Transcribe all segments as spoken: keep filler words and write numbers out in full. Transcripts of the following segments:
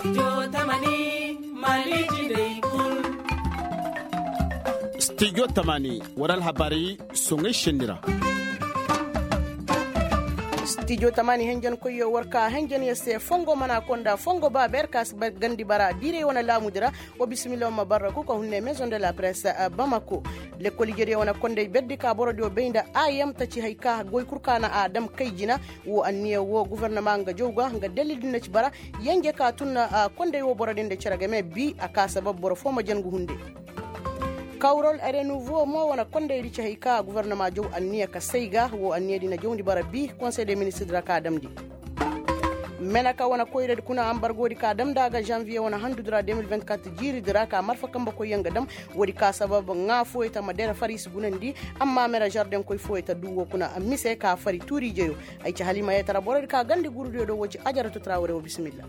Stijo tamani war alhabaari soŋay senni ra. Stijo tamani henjen koyyo war ka henjen ya se fongo mana konda fongo ba ber ka si gandi bara diirey wane laamudi ra. Wa bisimilla wa ma barra kuka hunne maison de la presse bamako. Lekkol ijediyo wane kondey berdi ka borodiyo bay nda a yam taci hay ka goy kul ka na a dam kay jina. Wo anniya wo gufernama nga jaw ga nga dalil din na ci bara. Yenje ka tun na kondey wo boro din da cere game bi a ka sabab boro fo ma jangu hunde. Kawrol renouveau mo wane kondey di ci hay ka gufernama jaw anniya ka say ga wo anniya di na jawndi bara bi konsey de ministir di ra ka damndi. Meneka wane koyradi kuna ambargodi ka damndi a ga janvier wane handudi ra deux mille vingt-quatre jiiridi ra ka marfa kambe koyyaŋ ga dam. Woodi ka sabab ŋaa fooyey ta ma dere far i si gunandi. Amma mera jardeŋ koy fooyey ta du wo kuna mise ka fari tuuri ijeyo. Ay ci halimayey tara borodi ka gandi gurudiyo do wo ci ajaratu trawre wo bisimilla.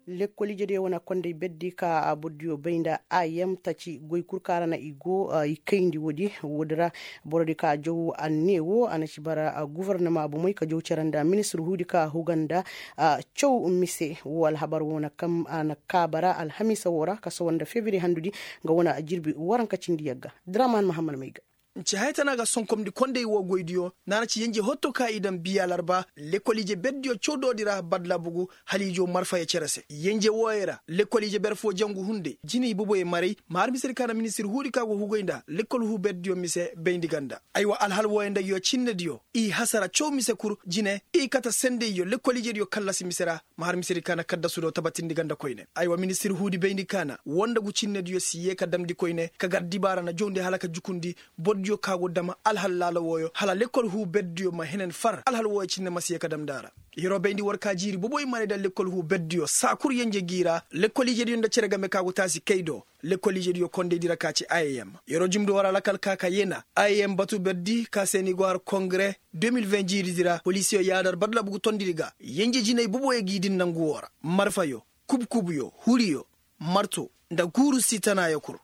Lekkol ijediyo wane kondey berdi ka bordiyo bay nda a yam taci goy kul ka ra na i go i kayndi woodi woodi ra. Borodi ka jaw anne wo a na ci bara gufernama bomey ka jaw cere nda ministir huudi ka huga nda caw mise wo alhabar wo na kam a na kaaba ra alhamiisa wo ra ka sawa nda febiri handudi. Nga wane jirbi waranka cindi yagga draman mahammad may ga. Nci haya tana ga sonkomndi kondey wo goydiyo naana ci yenje hotto ka i daŋ biya larba. Lekkol ije berdiyo cawdoodi ra badlabugu haliijo marfaya cere se yenje wooyey ra lekkol ije ber foo jangu hunde jinay boboyey maray ma har misedi ka na ministir huudi ka go hugay nda lekkol huu berdiyo mise bayndi ganda. Aywa alhal wooyey nda yoo cinnediyo i hasara caw mise kul jine i kate sendeyyo lekkol ijediyo kallasi mise ra. Ma har misedi ka na kaddasudo tabatindi ganda koyne aywa ministir huudi bayndi ka na woo nda gu cinnediyo si yee ka damndi koyne ka gar dibaara na jawndi hala ka jukundi. Bordiyo ka go dam alhal laala wooyo hala lekkol huu berdiyo ma henen far alhal wooyo cinne ma si yee ka damndi a ra. Yer'o bayndi war ka jiiri boboy marayda lekkol huu berdiyo saa kul yenje g'i ra. Lekkol ijediyo nda cere game ka go taasi kay do lekkol ijediyo kondaydi ra ka ci i m. Yer'o jumndi war alakal ka ka yeena i m batu berdi ka se ni go har kongre deux mille vingt jiiridi ra poliisiyo yaadar badlabugu tondidi ga yenje jinay boboyo g'i din nangu woo ra. Marfayo, kubkubuyo, huriyo, marto, nda guuru si tanaayo kul.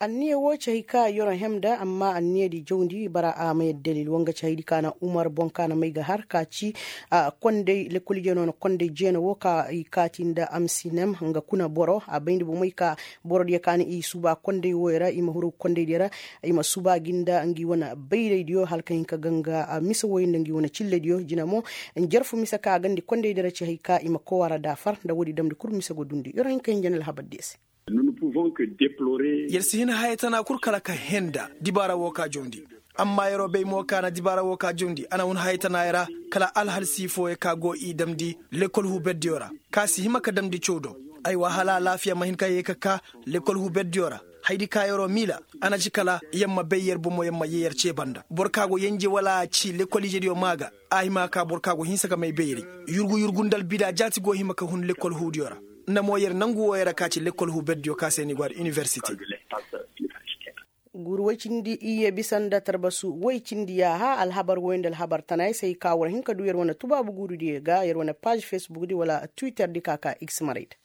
Anniya woo ci hay ka yoro hem nda amma anniyadi jawndi bara a ma yadda dalil woo nga ci haydi ka na umar boŋ ka na may ga har ka ci. Konday lekkol ije no na konday jeena woo ka i kaati nda amsinem nga kuna boro a bayndi bomey ka borodiyo ka na i suba konday wooyo ra i ma huru kondaydiyo ra. I ma suba gi nda ngi wane bayraydiyo hala ka hin ka ganga mise wooyo nda ngi wane cillediyo jina mo. Njarfu mise ka gandi kondaydi ra ci hay ka i ma kowa ra daafar nda woodi damndi kul mise go dundi yoro hin ka hin jana alhabardiyo se. Yer si hin haya tana kul kala ka henda dibaara woo ka jawndi. Amma yer'o bay mo ka na dibaara woo ka jawndi a na hun haya tana yer ra kala alhalsi fooyo ka go i damndi lekkol huu berdiyo ra ka si hima ka damndi caw do. Aywa hala alaafiya ma hin ka yee ka kaa lekkol huu berdiyo ra. Haydi ka yer'o miila a na ci kala yer ma bay yer bomo yer ma yee yer cee banda boro ka go yenje wala a ci lekkol ijediyo maa ga. A hima ka boro ka go hinsa ka may bayri yurgu yurgu nda albida jaati go hima ka hun lekkol huudiyo ra. Nda mo yer nangu wooyo ra ka ci lekkol huu berdiyo ka se ni go har iniwersite. Guuru woy cindi iyye bisa nda tarbasu woy cindi yaaha alhabar woy nda alhabar tanaay se i ka war hin ka du yer wane tubaabu guurudiyo ga yer wane paaz fesbukdi wala twitterdi ka ka x maray nda.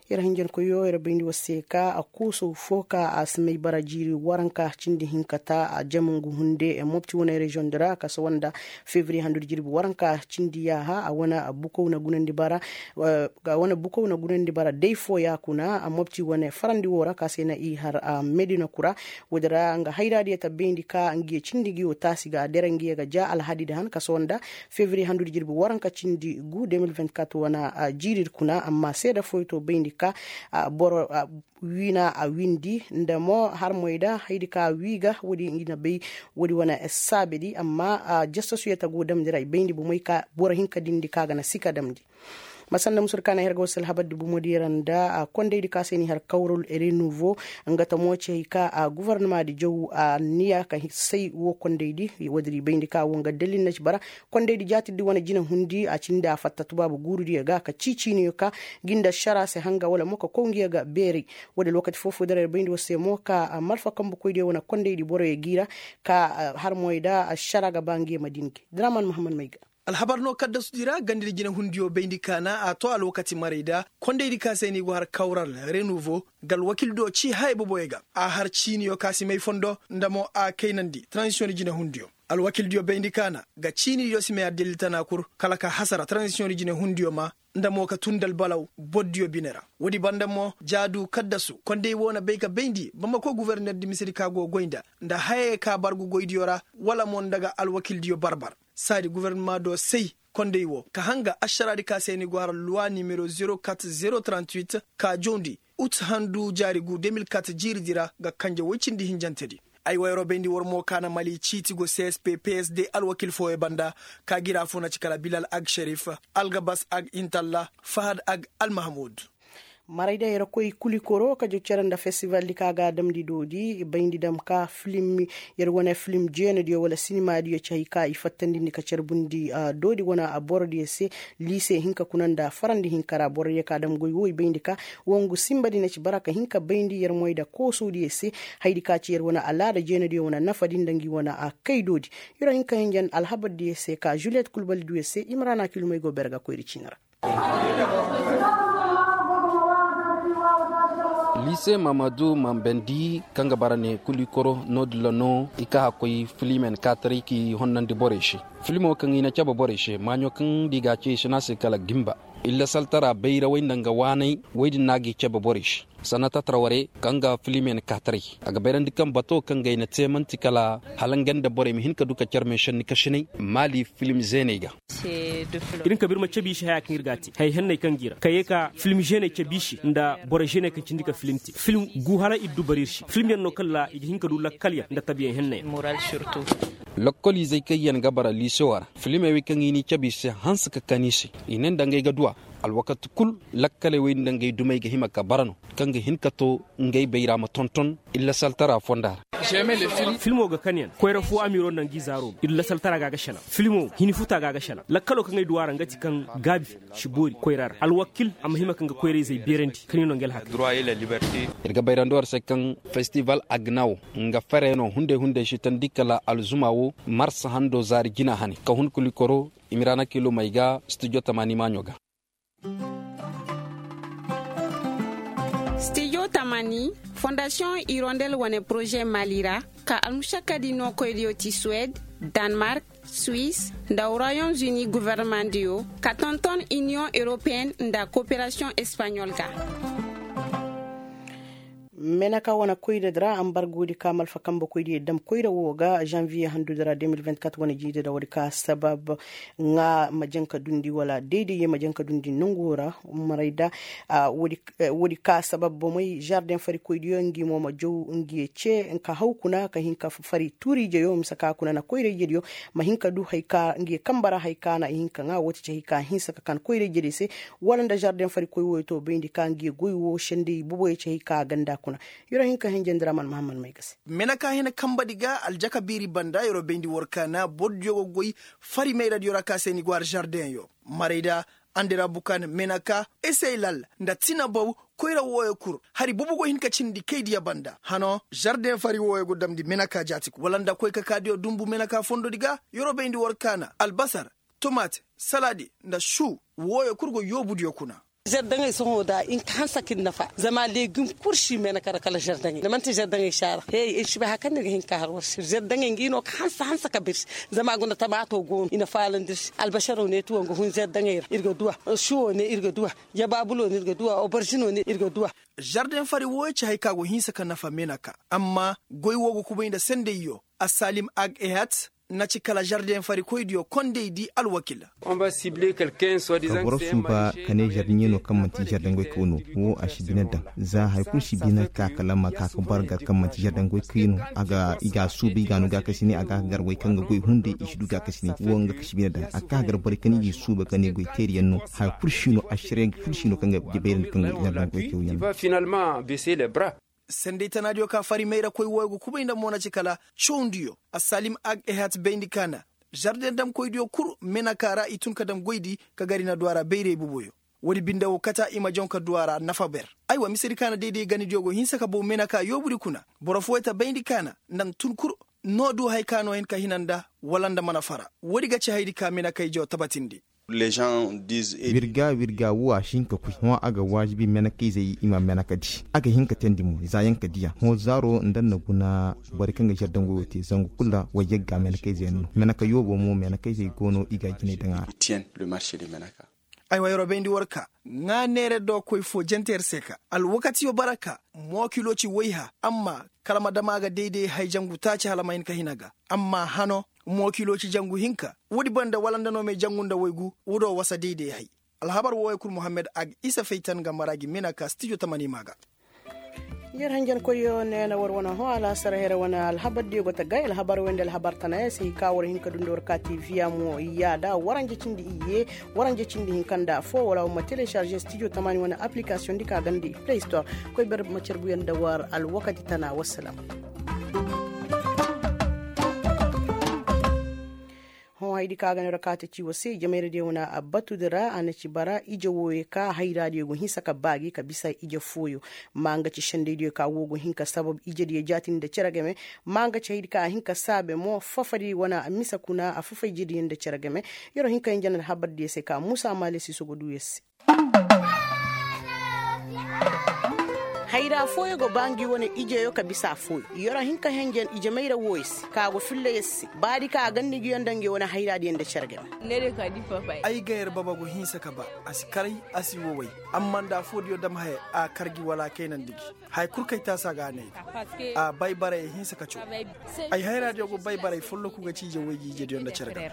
Yer hinjankoyyo yer bayndi war se ka a koosow fo ka a si may bara jiiri waranka cindi hinka ta a jama ngu hunde mopti wane reziyoŋ di ra ka sawa nda fevriye handudi jirbi waranka cindi yaaha a wane bukow na gunandi bara. Ga wane bukow na gunandi bara day fooya kuna a mopti wane farandi woo ra ka se na i har a medina kura. Woodi ra nga hayraadiyo ta bayndi ka ngiyo cindi ngiyo taasi ga a dere ngiyo ga ja alhadidi han ka sawa nda fevriye handudi jirbi waranka cindi gu deux mille vingt-quatre wane jiiridi kuna amma seeda fooyo to bayndi ka boro wiina a windi nda mo harmoy da haydi ka wii ga woodi i na bay. Woodi wane saabedi amma jasasuyo ta go damndi ra i bayndi bomey ka boro hinka dindi ka ga na sika damndi. Ma sanda musur ka na her ga war se alhabardi bomodiyo ra nda kondaydi ka se ni har kawrol renouveau nga ta mo ci hay ka gufarnamaadi jaw anniya ka say woo kondaydi woodi ra i bayndi ka woo nga dalil na ci bara. Kondaydi jaatirdi wane jinahundi a cindi a fatta tubaabu guurudiyo ga ka cii ciiniyo ka gi nda ašara se hanga wala mo ka kow ngiyo ga beeray. Woodi lokaci foo-foo dara ir bayndi war se mo ka malfa kambukoydiyo wane kondaydi boroyo g'i ra ka har moy da ašara ga ba ngiyo ma din gi draman muhammad may ga. Alhabar no kaddasudi ra gandidi jinahundiyo bayndi kaana a to alwakati maray da kondaydi ka se ni go har kawral renouveau. Nga alwakildiyo cii haya boboyo ga a har ciiniyo ka si may fondo nda mo a kaynandi transisiyoŋ di jinahundiyo. Alwakildiyo bayndi kaana ga ciinidiyo si may addalil tana kul kala ka hasara taranzisiyoŋ di jinehundiyo ma nda mo ka tun dalbalaw bordiyo bine ra. Woodi banda mo jaadu kaddasu kondey woo na bay ka bayndi bamako gufornerdi misedi ka go goy nda nda hayey ka bargu goydiyo ra wala mo nda ga alwakildiyo barbar saadi gufornama do say kondey woo ka hanga ašaraadi ka se ni go har luwa nimero zero kat zero trant huit ka jawndi ut handu jaari gu de mil kat jiiridi ra ga kanje woy cindi hinjantedi. Ay wayro bayndi war mo ka na mali ciiti go csp psd alwakil fooyo banda ka gira fo na ci kala bilal ag šerif, algabas ag intalla, fahad ag almahmud. Marayda yer koy kulikoro ka jo cere nda festivaldi ka ga a damndi doodi bayndi dam ka filim yer wane filim jeenadiyo wala sinimadiyo ci hay ka i fattandindi ka carbundi doodi wane borodiyo se. Liise hinka kuna nda farandi hinka ra borodiyo ka dam goy wo i bayndi ka wongu sinbadi na ci bara ka hin ka bayndi yer moy nda koosuudiyo se. Hayadi ka ci yer wane alaada jeenadiyo wane nafadi nda ngi wane kaydoodi. Yer wo hin ka hinjan alhabardiyo se ka juliyet kulbalidiyo se imrana kilumey go bere ga koyri ciini ra. Liise mamadu mambandi kaŋ ga bara ne kulikoro no-din ra no i ka hakkoy filimen kaataray k'i honnandi borey se. Filimo kaŋ i na cabe borey se maaɲo kaŋ da i ga a ce i si ne a se kala gimba. Illa saltara bayrawey nda nga waaney wey din no a g'i cabe borey se. Sannata taraware kaŋ ga filimen kaataray a ga bayrandi kaŋ bato kaŋ ga ay na te man'ti kala hala nga nda borey ma hin ka du ka care meesanni kasinay maali filim zeeney ga. Ir na ka ba ir ma cabe i se haya kaŋ ir ga a te hayey henney kaŋ ga i ra ka ye ka filim zeeney cabe i se nda boro zeeney kaŋ cindi ka filim te filim gu hala ir du bara ir se filimyaŋ no kaŋ ra i ga hin ka du lakkalyaŋ nda tabiyaŋ henneyaŋ. Lakkoliizey kaŋ yaŋ ga bara liisewa ra filimey wey kaŋ i n'i cabe i se hanse ka kan i se. I ne nda ngey ga duw'a alwakati kul lakkaley wey nda ngey dumey ga hima ka bara no kaŋ ga hin ka to ngey bayra ma tonton. Illa saltara fonda ra. Filmo ga kanyaŋ koyra fo amiiro nda ngi zaaro illa saltara ga a ga selaŋ filmo hini futa ga a ga selaŋ lakkalo kaŋ ay du a ra nga ti kaŋ gaabi si boori koyra ra alwakil a ma hima kaŋ ga koyra-izey beerandi kaŋ i no ngi alhakay. Ir ga bayrandi war se kaŋ festival agnawo nga fere no hunday hunday si tandi kala alzuma wo marsa hando zaari jina hane ka hun kulikoro. Imiraana kilomey ga studio tamaani maaɲo ga. Studio tamaani fondasiyoŋ irondel wane poroze maali ra ka almušakkadi nookoydiyo ti suwed, danmark, suis nda royaume-uni governemandiyo ka tonton iniyoŋ europeyen nda koperasiyoŋ espaɲol ga. Menaka wane koyra di ra ambargoodi ka malfa kambe koydiyo dam koyra wo ga zanviye handudi ra de mil vingt-quatre wane jiidi ra woodi ka sabab ŋaa ma janka dundi wala dayday ye ma janka dundi nongu ra. Marayda woodi ka sabab bomey zardeŋ fari koydiyo ngi mo ma jaw ngi ye ce ka haw kuna ka hin ka fari tuuriijeyo mise ka kuna na koyra-ijediyo ma hin ka du hay ka ngi ye kambe ra hay ka na i hin ka ŋaa woo ti ci hay ka hinsa ka kan koyra-ijediyo se. Wala nda zardeŋ fari koy wooyo to bayndi ka ngi ye goy woo senday boboyo ci hay ka ganda kuna. Yer'o hin ka hinjandi ra man mahammad may ga se. Menaka hina kambadi ga aljaka biiri banda yer'o bayndi war kaana bordiyo go goy fari mayradiyo ra ka se ni go har zardeŋyo. Marayda andira bukan menaka eseylal nda tinabaw koyra wooyo kul hari bobo go hin ka cindi kaydiya banda hano zardeŋ fari wooyo go damndi menaka jaati kul wala nda koy ka kaadiyo dumbu menaka fondodi ga yer'o bayndi war kaana albasar, tomaate, saladi nda su wooyo kul go yoobudiyo kuna. Zardaŋey sohõ da i na ka hanse ka ir nafa zama legim kul si menaka ra kala zardaŋey da man'ti zardaŋey si a ra he ir si bay hari kaŋ no ir ga hin ka har war se zardaŋey ngi no ka hanse hanse ka ba ir se. Zama guna tamaato go no i na faalandi ir se albasaro ne ti wo nga hun zardaŋey ra ir ga duw'a. Suwo ne ir ga duw'a. Jabaabulo ne ir ga duw'a obarzino ne ir ga duw'a. Zardeŋ fari wooyo ci hay ka go hinsa ka nafa menaka amma goy wo ga kubay nda sendayyo. Assalim ag ehat na ci kala zardeŋ farikoydiyo kondey di alwakil. Ka boro suuba ka ne zardeŋey no kaŋ manti zardeŋ goykoy no wo a si bine daŋ. Za hari kulu si bine ka kala ma ka ka bar gar kaŋ manti zardeŋ goykoy no. I ga a suuba i ga a no gaakasine a ga ka gar goy kaŋ ga goy hunday i si du gaakasine wo nga ka si bine daŋ a ka gar borey kaŋ i ga i suuba ka ne goy teeriyaŋ no. Hari kulu si no a sere kulu si no kaŋ ga jabayrandi kaŋ goy zardeŋ goykoy yaŋ no. Senday tanaadiyo ka fari mayra koy wooyo ga kubay nda mo na ci kala cawndiyo. Assalim ag ehat bayndi ka na zarden damkoydiyo kul menaka ra i tun ka dam goydi ka gar i na du a ra bayray boboyo. Woodi binde wo kata i ma jaŋ ka du a ra nafa ber. Aywa misedi ka na dayday ganidiyo go hinsa ka bow menaka yoobudi kuna. Boro fooyey ta bayndi ka na nda tun kul no du haya ka no hin ka hina nda wala nda mana fara. Woodi ga ci hayadi ka menakaydiyo tabatindi. Wirga wirga wo a si hin ka koy hõ a ga waajibi menekayzey i ma meneka di a ga hin ka teendi mo za yaŋ ka diya hõ zaaro nda na guna borey kaŋ ga zardangoo te zangu kul ra wayyagga menekayzey yaŋ no meneka yoobo mo menekayzey go no i ga a jinay daŋ a ra. Aywa yeroo bayndi war ka ŋaa neere dookoy foo jante yer se ka alwakatiyo bara ka mookilooci wayha amma kala ma dam a ga dayday hay jangu taaci hala ma hin ka hin a ga amma hano mookilooci jangu hinka woodi banda wala nda no may jangu nda waygu woodoo wasa dayday hay. Alhabar wooyo kul muhammed a ga isa faytan ga mara gi mina ka stijo tamani maa ga. Yer hanjankoyyo neena war wane hõ alaasar here wane alhabardiyo go ta gay alhabar wey nda alhabar tanayaŋ se i ka war hin ka dundi war ka tv a mo yaada waranje cindi iyye waranje cindi hinka nda affoo wala war ma telecarze stijo tamani wane appilikasoŋ di ka ganda i play store. Koy ber ma carbuyaŋ nda war alwakati tana wassalam. Hõ haydi ka ga no ra kaata ci war se ijemayradiyo wane a batudi ra a na ci bara ije wooyo ka hayraadiyo go hinsa ka baa gi ka bisa ije fooyo. Ma nga ci sendaydiyo ka woo go hin ka sabab ijediyo jaatindi nda cere game. Ma nga ci haydi ka a hin ka saabe mo fafadi wane a misa kuna a fafa ijediyo nda cere game. Yer'o hin ka hinja nda alhabardiyo se ka muusa maale siiso go duu yer se. Hayra fooyo go ba ngi wane ijeyo ka bisa fooyo. Yoro hin ka henjen ije mayra wooyo se ka go filla yer se baadi ka a ganda ngiyo nda ngi wane hayraadiyo nda cere game. Ay ga yer baba go hinsa ka ba a si karay a si woway. Amma nda a foodiyo dam haya a kar gi wala a kaynandi gi. Haya kul kay taasa ga a ne ay ga a baybaray ay hinsa ka caw. Ay hayraadiyo go baybaray folloku ga ci ije woy gi ijediyo nda cere game.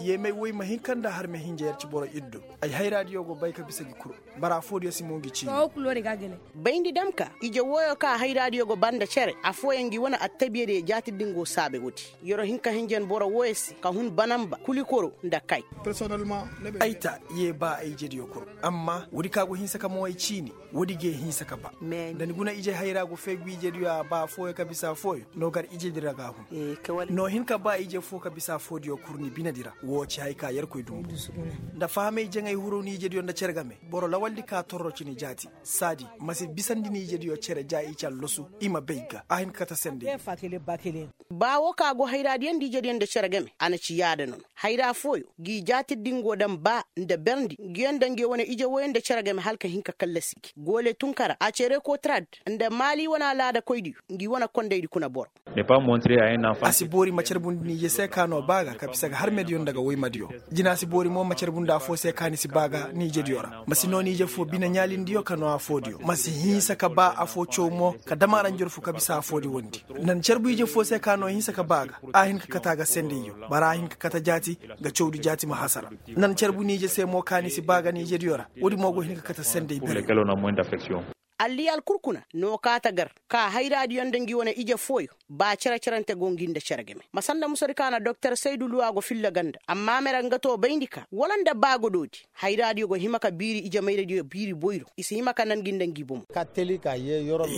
Yeemay woy ma hin ka nda harme hinja yer ci boro iddo. Ay hayraadiyo go bay ka bisa gi kul. Bara foodiyo si mo ngi ciini. Bayndi dam ka ije wooyo ka hayraadiyo go ba nda cere affooyaŋ ngi wane attabiyadiyo jaati din go saabe woodi. Yer'o hin ka hinjan boro wooyo se ka hun banamba kulikoro nda kay. Ay ta yee ba ay ijediyo kul. Amma woodi ka go hinsa ka mo ay ciini. Woodi g'ay hinsa ka ba. Nda ni guna ije hayra go fay gu ijediyo a ba affooyo ka bisa affooyo. No gar ijedi ra ga a hun. No hin ka ba ije foo ka bisa affoodiyo kul ni binedi ra woo ci hay ka yerkoy dumbu. Nda fahamay jaŋay huru ni ijediyo nda cere game. Boro lawaldi ka torro ci ni jaati. Saadi ma si bisandi ni ijediyo cere ja i ci allosu. I ma bay ga a hin ka kate senday. Ba woo ka go hayraadiyo nda ijediyo nda cere game a na ci yaada no no. Hayra fooyo g'i jaati dingo daŋ ba nda berndi ngiyo nda ngiyo wane ije wooyo nda cere game hala ka hin ka kallasi gi goole tunkara a cere kotrad. Nda maali wane alaadakoydiyo ngi wane kondaydi kuna boro. A si boori ma carbundi ni ije se ka noo ba ga ka bisa ga harmediyo nda ga woymadiyo. Jina si boori mo ma carbundi afoo se ka ni si ba ga ni ijediyo ra ma si noo ni ije foo bine ɲaalindiyo ka noo afoodiyo ma si hinsa ka ba afoo caw mo ka dam a ra njorfu ka bisa afoodi wondi. Nan carbu ije foo se ka noo hinsa ka ba ga a hin ka kate a ga sendayyo. Bara a hin ka kate jaati ga cawdi jaati ma hasara. Nan carbu ni ije se mo ka ni si ba ga ni ijediyo ra. Woodi mo go hin ka kate senday bere. Alliyaal kul kuna no kaata gar ka hayraadiyo nda ngi wane ije fooyo. Ba cere-cerante go ngi nda cere game ma sanda musadi ka na doktor saydu luwa go filla ganda amma mere nga too bayndi ka wala nda ba godoodi. Hayraadiyo go hima ka biiri ijemayradiyo biiri boyro i si hima ka nan gi nda ngi bomo.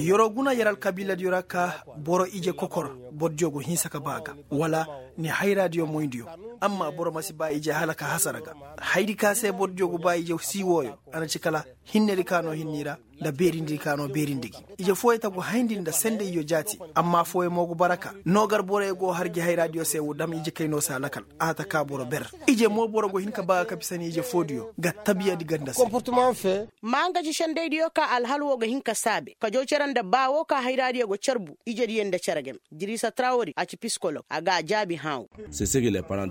Yer'o guna yer alkabiiladiyo ra ka boro ije kokor. Bordiyo go hinsa ka ba ga wala ni hayraadiyo moydiyo. Amma boro ma si ba ije hala ka hasara ga. Haydi ka se bordiyo go ba ije sii wooyo a na ci kala hinnedi ka noo hinni ra. Nda beerindi ka noo beerindi gi ije fooyo ta go hayndi nda sendayyo jaati. Amma fooyo mo go bara ka noo gar boroyo go har gi hayraadiyo se wo dam ije kaynoo se a lakal. A ta ka boro ber ije mo boro go hin ka ba ga ka bisa ni ije foodiyo ga tabiyadi ganda se. Ma nga ci sendaydiyo ka alhal woo ga hin ka saabe ka joo cere nda ba woo ka hayraadiyo go carbu ijediyo nda cere game. Dirisa trawori a ci pisikolog a ga a jaabi hãa woo.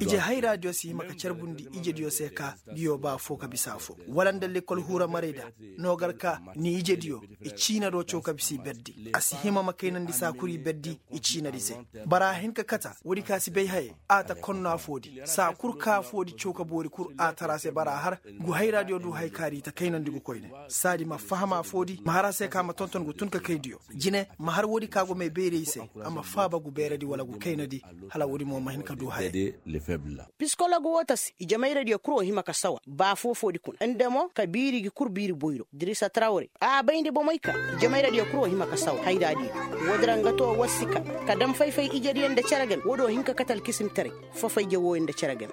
Ije hayraadiyo si hima ka carbundi ijediyo se ka ngiyo ba foo ka bisa afoo wala nda lekkol huura maray da. No gar ka ni ijediyo i ciina do caw ka bisa i berdi. A si hima ma kaynandi saa kul i berdi i ciinadi se. Bara a hin ka kata woodi ka si bay haye. A ta konno afoodi saa kul ka afoodi caw ka boori kul a tara se bara a har. Ngu hayraadiyo du haya kaari i ta kaynandi ngu koyne. Saadi ma faham afoodi ma har a se ka ma tonton ngu tun ka kaydiyo. Jine ma har woodi ka go may bayray se. A ma faaba ngu beeradi wala ngu kaynadi. Hala woodi mo ma hin ka du haya. Pisikolog woo ta se ijemayradiyo kul wo hima ka sawa ba foo-foodi kuna nda mo ka biiri gi kul biiri boyro dirisa trawre. A bayndi bomey ka ijemayradiyo kul wo hima ka sawa hayraadiyo. Woodi ra nga too war si ka ka dam fay-fay ijediyo nda cere game woodi wo hin ka kate alkisimtaray. Fafayje wooyo nda cere game.